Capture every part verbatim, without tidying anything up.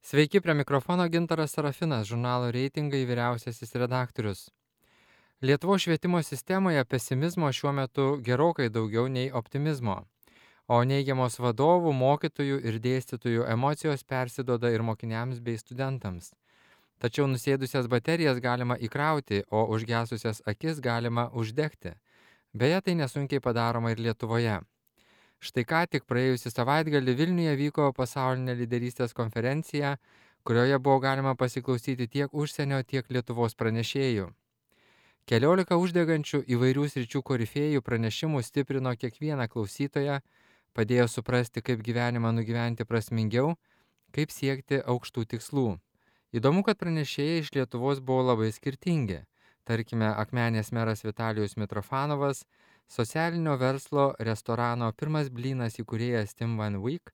Sveiki, prie mikrofono Gintaras Sarafinas, žurnalo reitingai vyriausiasis redaktorius. Lietuvos švietimo sistemoje pesimizmo šiuo metu gerokai daugiau nei optimizmo, o neigiamos vadovų, mokytojų ir dėstytojų emocijos persidoda ir mokiniams bei studentams. Tačiau nusėdusias baterijas galima įkrauti, o užgesusias akis galima uždegti. Beje, tai nesunkiai padaroma ir Lietuvoje. Štai ką tik praėjusį savaitgalį Vilniuje vyko pasaulinė lyderystės konferencija, kurioje buvo galima pasiklausyti tiek užsienio, tiek Lietuvos pranešėjų. Keliolika uždegančių įvairių sričių korifėjų pranešimų stiprino kiekvieną klausytoją, padėjo suprasti, kaip gyvenimą nugyventi prasmingiau, kaip siekti aukštų tikslų. Įdomu, kad pranešėjai iš Lietuvos buvo labai skirtingi. Tarkime, Akmenės meras Vitalijus Mitrofanovas, socialinio verslo restorano Pirmas blynas įkūrėjas Tim Van Wyk,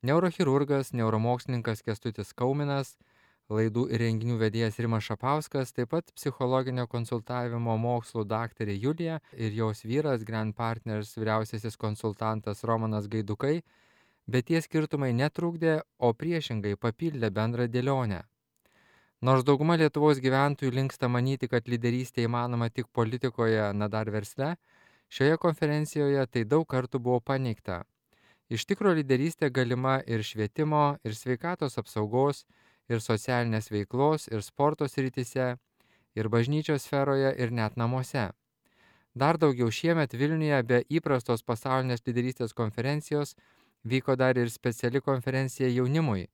neurochirurgas, neuromokslininkas Kęstutis Kauminas, laidų ir renginių vedėjas Rimas Šapauskas, taip pat psichologinio konsultavimo mokslų daktarė Julija ir jos vyras Grand Partners vyriausiasis konsultantas Romanas Gaidukai, bet tie skirtumai netrukdė, o priešingai papildė bendrą dėlionę. Nors dauguma Lietuvos gyventojų linksta manyti, kad lyderystė įmanoma tik politikoje, na dar versle, šioje konferencijoje tai daug kartų buvo paneigta. Iš tikro lyderystė galima ir švietimo, ir sveikatos apsaugos, ir socialinės veiklos, ir sporto srityse, ir bažnyčios sferoje, ir net namuose. Dar daugiau šiemet Vilniuje be įprastos pasaulinės lyderystės konferencijos vyko dar ir speciali konferencija jaunimui,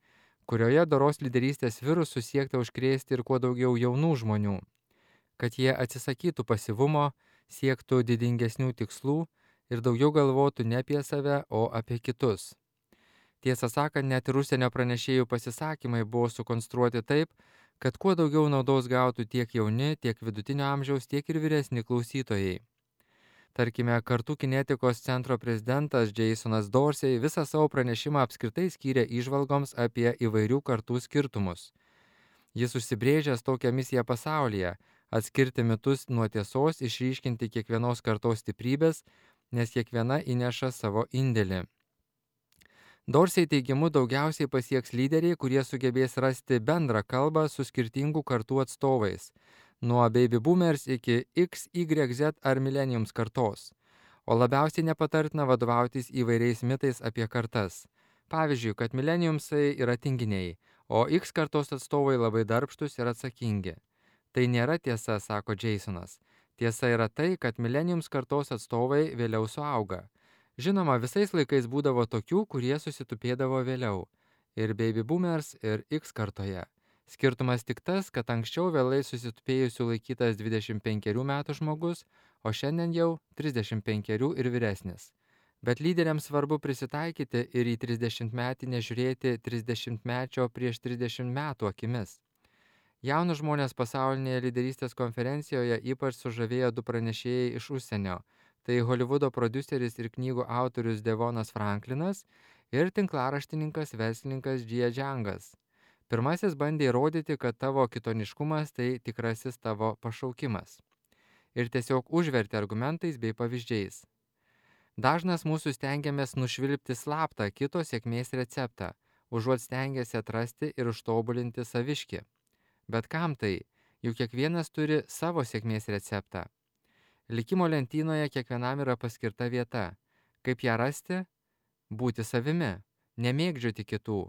kurioje doros lyderystės virusų siekta užkrėsti ir kuo daugiau jaunų žmonių, kad jie atsisakytų pasyvumo, siektų didingesnių tikslų ir daugiau galvotų ne apie save, o apie kitus. Tiesą sakant, net ir užsienio pranešėjų pasisakymai buvo sukonstruoti taip, kad kuo daugiau naudos gautų tiek jauni, tiek vidutinio amžiaus, tiek ir vyresni klausytojai. Tarkime, Kartų kinetikos centro prezidentas Jasonas Dorsey visą savo pranešimą apskritai skyrė įžvalgoms apie įvairių kartų skirtumus. Jis užsibrėžęs tokią misiją pasaulyje – atskirti mitus nuo tiesos, išryškinti kiekvienos kartos stiprybės, nes kiekviena įneša savo indėlį. Dorsey teigimu daugiausiai pasieks lyderiai, kurie sugebės rasti bendrą kalbą su skirtingų kartų atstovais, nuo baby boomers iki X, Y, Z ar millenniums kartos, o labiausiai nepatartina vadovautis įvairiais mitais apie kartas. Pavyzdžiui, kad millenniumsai yra tinginiai, o X kartos atstovai labai darbštus ir atsakingi. Tai nėra tiesa, sako Jasonas. Tiesa yra tai, kad millenniums kartos atstovai vėliau suauga. Žinoma, visais laikais būdavo tokių, kurie susitupėdavo vėliau. Ir baby boomers, ir X kartoje. Skirtumas tik tas, kad anksčiau vėlai susitupėjusių laikytas dvidešimt penkerių metų žmogus, o šiandien jau trisdešimt penkerių ir vyresnis. Bet lyderiams svarbu prisitaikyti ir į trisdešimtmetį nežiūrėti trisdešimtmečio prieš trisdešimt metų akimis. Jaunus žmonės pasaulinėje lyderystės konferencijoje ypač sužavėjo du pranešėjai iš užsienio. Tai Holivudo prodiuseris ir knygų autorius Devonas Franklinas ir tinklaraštininkas verslininkas Jie Džiangas. Pirmasis bandė įrodyti, kad tavo kitoniškumas tai tikrasis tavo pašaukimas. Ir tiesiog užvertė argumentais bei pavyzdžiais. Dažnas mūsų stengiamės nušvilpti slaptą kito sėkmės receptą, užuot stengiasi atrasti ir užtobulinti saviškį. Bet kam tai? Juk kiekvienas turi savo sėkmės receptą. Likimo lentynoje kiekvienam yra paskirta vieta. Kaip ją rasti? Būti savimi, nemėgdžioti kitų.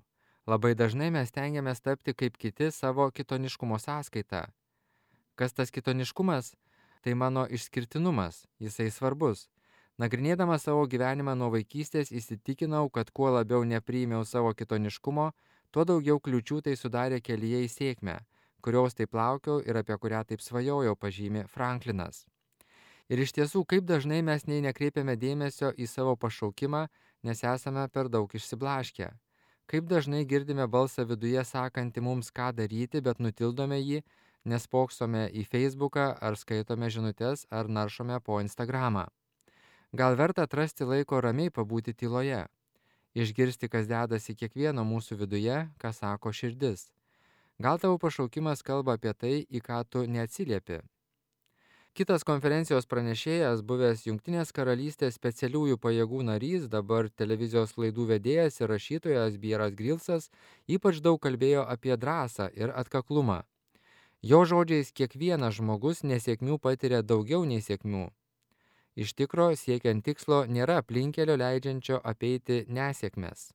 Labai dažnai mes stengiamės tapti kaip kiti savo kitoniškumo sąskaita. Kas tas kitoniškumas? Tai mano išskirtinumas, jisai svarbus. Nagrinėdamas savo gyvenimą nuo vaikystės įsitikinau, kad kuo labiau nepriėmiau savo kitoniškumo, tuo daugiau kliūčių tai sudarė kelyje į sėkmę, kurios taip laukiau ir apie kurią taip svajojau, pažymi Franklinas. Ir iš tiesų, kaip dažnai mes nei nekreipiame dėmesio į savo pašaukimą, nes esame per daug išsiblaškę. Kaip dažnai girdime balsą viduje sakantį mums ką daryti, bet nutildome jį, nes spoksome į Facebooką ar skaitome žinutes ar naršome po Instagramą. Gal verta atrasti laiko ramiai pabūti tyloje, išgirsti, kas dedasi kiekvieno mūsų viduje, ką sako širdis. Gal tavo pašaukimas kalba apie tai, į ką tu neatsiliepi. Kitas konferencijos pranešėjas, buvęs Jungtinės karalystės specialiųjų pajėgų narys, dabar televizijos laidų vedėjas ir rašytojas Bieras Grylsas, ypač daug kalbėjo apie drąsą ir atkaklumą. Jo žodžiais, kiekvienas žmogus nesėkmių patiria daugiau nei sėkmių. Iš tikro, siekiant tikslo nėra aplinkelio leidžiančio apeiti nesėkmes.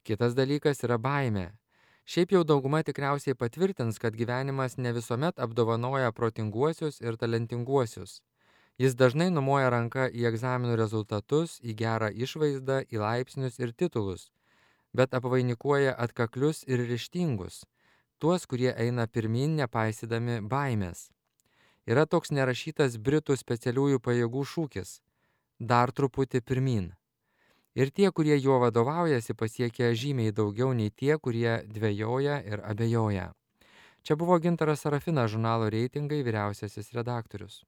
Kitas dalykas yra baimė. Šiaip jau dauguma tikriausiai patvirtins, kad gyvenimas ne visuomet apdovanoja protinguosius ir talentinguosius. Jis dažnai numoja ranką į egzaminų rezultatus, į gerą išvaizdą, į laipsnius ir titulus, bet apvainikuoja atkaklius ir ryžtingus, tuos, kurie eina pirmyn nepaisydami baimės. Yra toks nerašytas Britų specialiųjų pajėgų šūkis – dar truputį pirmyn. Ir tie, kurie juo vadovaujasi, pasiekia žymiai daugiau nei tie, kurie dvejoja ir abejoja. Čia buvo Gintaras Sarafinas, žurnalo Reitingai vyriausiasis redaktorius.